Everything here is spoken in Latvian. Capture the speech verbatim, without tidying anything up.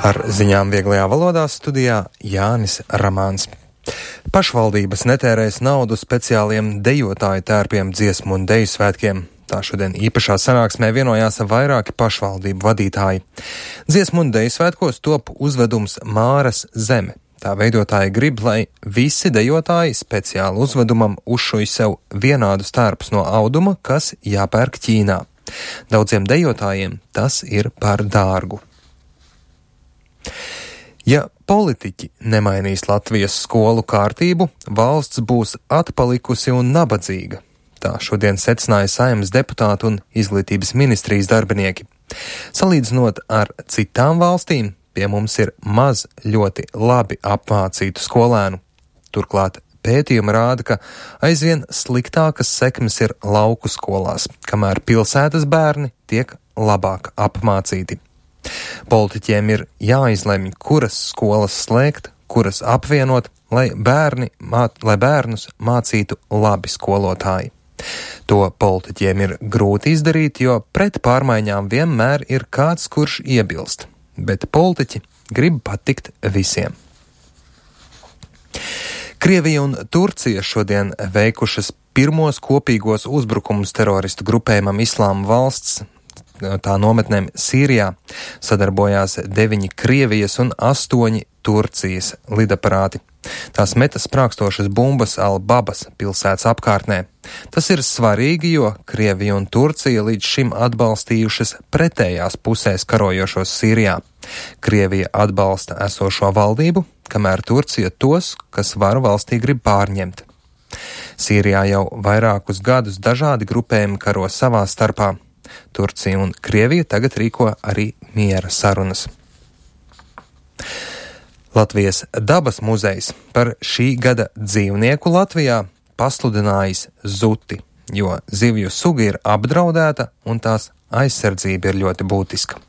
Ar ziņām vieglajā valodā studijā Jānis Ramāns. Pašvaldības netērēs naudu speciāliem dejotāju tērpiem dziesmu un deju svētkiem. Tā šodien īpašā sanāksmē vienojās vairāki pašvaldību vadītāji. Dziesmu un deju svētkos top uzvedums Māras zeme. Tā veidotāji grib, lai visi dejotāji speciāli uzvedumam uzšuj sev vienādus tērpus no auduma, kas jāpērk Ķīnā. Daudziem dejotājiem tas ir par dārgu. Ja politiķi nemainīs Latvijas skolu kārtību, valsts būs atpalikusi un nabadzīga. Tā šodien secināja Saeimas deputātu un izglītības ministrijas darbinieki. Salīdzinot ar citām valstīm, pie mums ir maz ļoti labi apmācītu skolēnu. Turklāt pētījumi rāda, ka aizvien sliktākas sekmes ir lauku skolās, kamēr pilsētas bērni tiek labāk apmācīti. Politiķiem ir jāizlemj, kuras skolas slēgt, kuras apvienot, lai, bērni, mā, lai bērnus mācītu labi skolotāji. To politiķiem ir grūti izdarīt, jo pret pārmaiņām vienmēr ir kāds, kurš iebilst, bet politiķi grib patikt visiem. Krievija un Turcija šodien veikušas pirmos kopīgos uzbrukumus teroristu grupējumam Islāma valsts. Tā nometnēm Sīrijā sadarbojās deviņi Krievijas un astoņi Turcijas lidaparāti. Tās meta sprākstošas bumbas Al-Babas pilsētas apkārtnē. Tas ir svarīgi, jo Krievija un Turcija līdz šim atbalstījušas pretējās pusēs karojošos Sīrijā. Krievija atbalsta esošo valdību, kamēr Turcija tos, kas varu valstī grib pārņemt. Sīrijā jau vairākus gadus dažādi grupējumi karo savā starpā. Turcija un Krievija tagad rīko arī miera sarunas. Latvijas dabas muzejs par šī gada dzīvnieku Latvijā pasludinājis zuti, jo zivju suga ir apdraudēta un tās aizsardzība ir ļoti būtiska.